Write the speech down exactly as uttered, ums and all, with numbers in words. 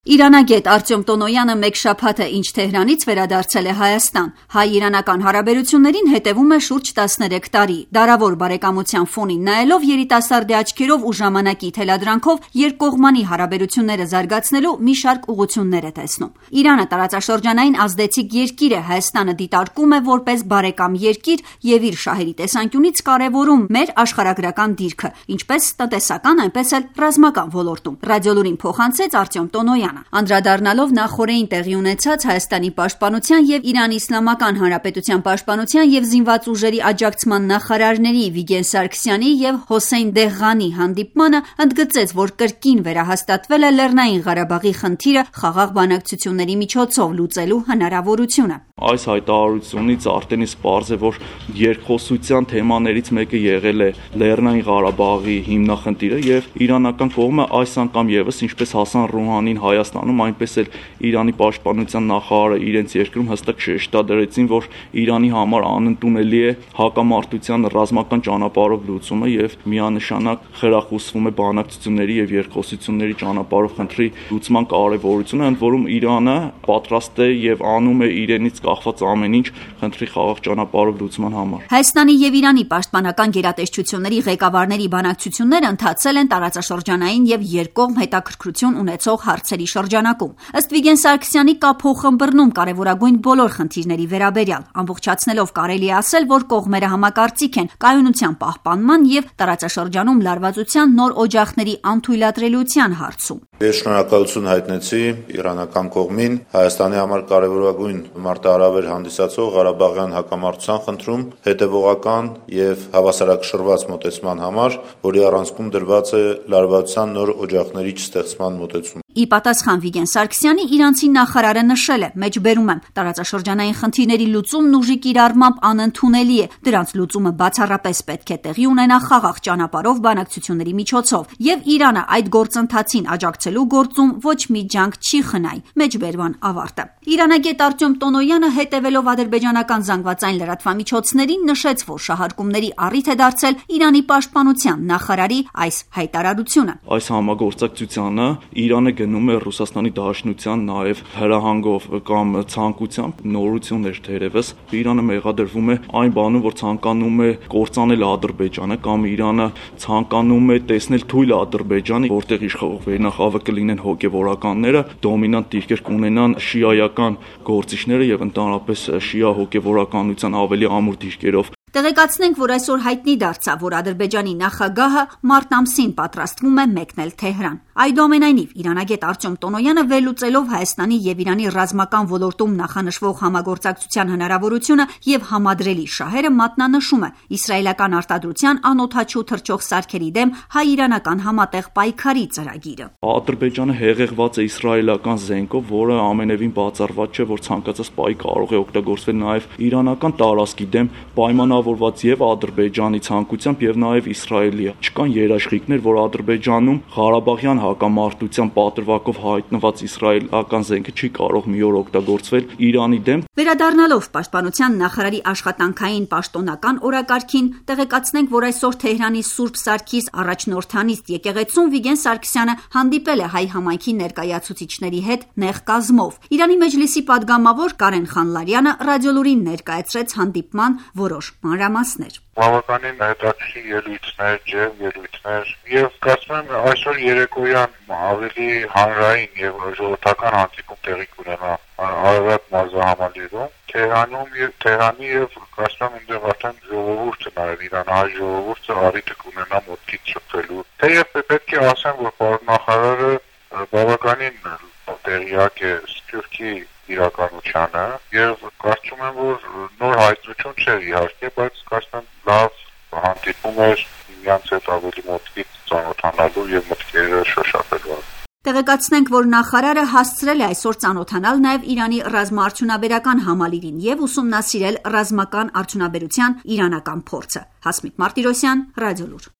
Իրանագետ Արտյոմ Տոնոյանը մեկ շաբաթ է ինչ Թեհրանից վերադարձել է Հայաստան։ Հայ-իրանական հարաբերություններին հետևում է շուրջ տասներեք տարի։ Դարավոր բարեկամության ֆոնին նայելով երիտասարդի աչքերով ու ժամանակի թելադրանքով երկկողմանի հարաբերությունները զարգացնելու մի շարք ուղղություններ է տեսնում։ Իրանը տարածաշրջանային ազդեցիկ երկիր է, Հայաստանը դիտարկում է որպես բարեկամ երկիր եւ իր շահերի տեսանկյունից կարեւորում մեր աշխարհագրական դիրքը, ինչպես տնտեսական, այնպես էլ ռազմական ոլորտում։ Ռադիոլուրին փոխանցեց Արտյոմ Տոնոյանը։ Անդրադառնալով նախորդին տեղի ունեցած Հայաստանի պաշտպանության եւ Իրանի Իսլամական Հանրապետության պաշտպանության եւ զինված ուժերի աջակցման նախարարների Վիգեն Սարգսյանի եւ Հոսեյն Դեղղանի հանդիպմանը, ընդգծեց, որ կրկին վերահաստատվել է Լեռնային Ղարաբաղի խնդիրը խաղաղ բանակցությունների միջոցով լուծելու հնարավորությունը։ Այս հայտարարությունից արդեն իսկ պարզ է, որ երկխոսության թեմաներից մեկը եղել է Լեռնային Ղարաբաղի հիմնախնդիրը եւ իրանական կողմը այս անգամ եւս, ինչպես Հասան Ռոհանին Հայաստանում, այնպես էլ Իրանի պաշտպանության նախարարը իրենց երկրում հստակ շեշտադրեցին, որ Իրանի համար անընդունելի է հակամարտության ռազմական ճանապարհով լուծումը եւ միանշանակ խրախուսվում է բանակցությունների եւ երկխոսությունների ճանապարհով խնդրի լուծման կարեւորությունը, ընդ որում Իրանը պատրաստ է եւ անում է իրենից կախված ամեն ինչ խնդրի խաղաղ ճանապարհով լուծման համար։ Հայաստանի եւ Իրանի պաշտպանական գերատեսչությունների ղեկավարների բանակցությունները ընթացել են տարածաշրջանային եւ երկկողմ հետաքրքրություն ունեցող հարցերի շրջանակում։ Ըստ Վիգեն Սարգսյանի կա փոխըմբռնում կարևորագույն բոլոր խնդիրների վերաբերյալ, ամբողջացնելով կարելի է ասել, որ կողմերը համակարծիք են կայունության պահպանման եւ տարածաշրջանում լարվածության նոր օջախների անթույլատրելիության հարցում։ Ես շնորհակալություն հայտնեցի իրանական կողմին Հայաստանի համար կարևորագույն մարտահրավեր հանդիսացող Ղարաբաղյան հակամարտության խնդրում հետևողական եւ հավասարակշռված մոտեցման համար, որի առանցքում դրված է լարվածության նոր օջախների չստեղծման մոտեցում։ Ի պատասխան Վիգեն Սարգսյանի իրանցի նախարարը նշել է. «Մեջբերում եմ, տարածաշրջանային խնդիրների լուծումն ուժի կիրառմամբ անընդունելի է, դրանց լուծումը բացառապես պետք է տեղի ունենա խաղաղ ճանապարհով բանակցությունների միջոցով, եւ Իրանը այդ գործընթացին աջակցելու գործում ոչ մի ջանք չի խնայ»։ Մեջբերման ավարտը։ Իրանագետ Արտյոմ Տոնոյանը, հետևելով ադրբեջանական զանգվածային լրատվամիջոցներին, նշեց, որ շահարկումների առիթ է դարձել Իրանի պաշտպանության նախարարի այս հայտարարությունը։ Այս համագործակցությանը Իրանը գնում է Ռուսաստանի Դաշնության նաև հրահանգով կամ ցանկությամբ նորություններ թերևս Իրանը մեղադրվում է այն բանում, որ ցանկանում է կործանել Ադրբեջանը կամ Իրանը ցանկանում է տեսնել թույլ Ադրբեջանի, որտեղ իշխող վերնախավը կլինեն հոգևորականները, դոմինանտ դիրքեր կունենան շիայական գործիչները եւ ընդհանրապես շիա հոգևորականության ավելի ամուր դիրքերով։ Տեղեկացնենք, որ այսօր հայտնի դարձավ, որ Ադրբեջանի նախագահը մարտ ամսին պատրաստվում է մեկնել Թեհրան։ Այդուամենայնիվ, իրանագետ Արտյոմ Տոնոյանը վերլուծելով Հայաստանի եւ Իրանի ռազմական ոլորտում նախանշվող համագործակցության հնարավորությունը եւ համադրելի շահերը մատնանշում է իսրայելական արտադրության անօդաչու թռչող սարքերի դեմ հայ-իրանական համատեղ պայքարի ծրագիրը։ Ադրբեջանը հեղեղված է իսրայելական զենքով, որը ամենևին բացառված չէ, որ ցանկացած պայ կարող է օգտագործվել նաեւ իրանական տարածքի դեմ պայմանավորված որված եւ Ադրբեջանի ցանկությամբ եւ նաեւ Իսրայելի։ Չկան երաշխիքներ, որ Ադրբեջանում Ղարաբաղյան հակամարտության պատրվակով հայտնված իսրայելական զենքը չի կարող մի օր օգտագործվել Իրանի դեմ։ Վերադառնալով պաշտպանության նախարարի աշխատանքային պաշտոնական օրակարգին, տեղեկացնենք, որ այսօր Թեհրանի Սուրբ Սարգիս առաջնորդանիստ եկեղեցում Վիգեն Սարգսյանը հանդիպել է հայ համայնքի ներկայացուցիչների հետ նեղ կազմով։ Իրանի Մեջլիսի падգամավոր Կարեն Խանլարյանը ռադիոլուրին ներկայացրեց հանդիպման որոշ մանրամասներ։ Բավականին հետաքրքիր ելույթներ, ջերմ ելույթներ եւ կարծում եմ այսօր երեկոյան ավելի հանրային եւ ժողովրդական հանդիպում տեղի կունենա Արարատ մարզահամալիրում Թեհրանում եւ Թեհրանի եւ կարծում եմ այնտեղ արդեն ժողովուրդը նաեւ իրանահայ ժողովուրդը առիթ կունենա մոտքից շփվելու։ Թեև պետք է ասեմ, որ պարոն նախարարը բավականին տեղյակ է Սփյուռքի իրականությանը եւ կարծում եմ, որ նոր հայտնություն չէր իհարկե, բայց կարծում եմ լավ հանդիպում էր միմյանց հետ ավելի մոտքից ծանոթանալու եւ մտքերը շոշափելու։ Տեղեկացնենք, որ նախարարը հասցրել է այսօր ծանոթանալ նաև Իրանի ռազմաարդյունաբերական համալիրին եւ ուսումնասիրել ռազմական արդյունաբերության իրանական փորձը։ Հասմիկ Մարտիրոսյան, Ռադիոլուր։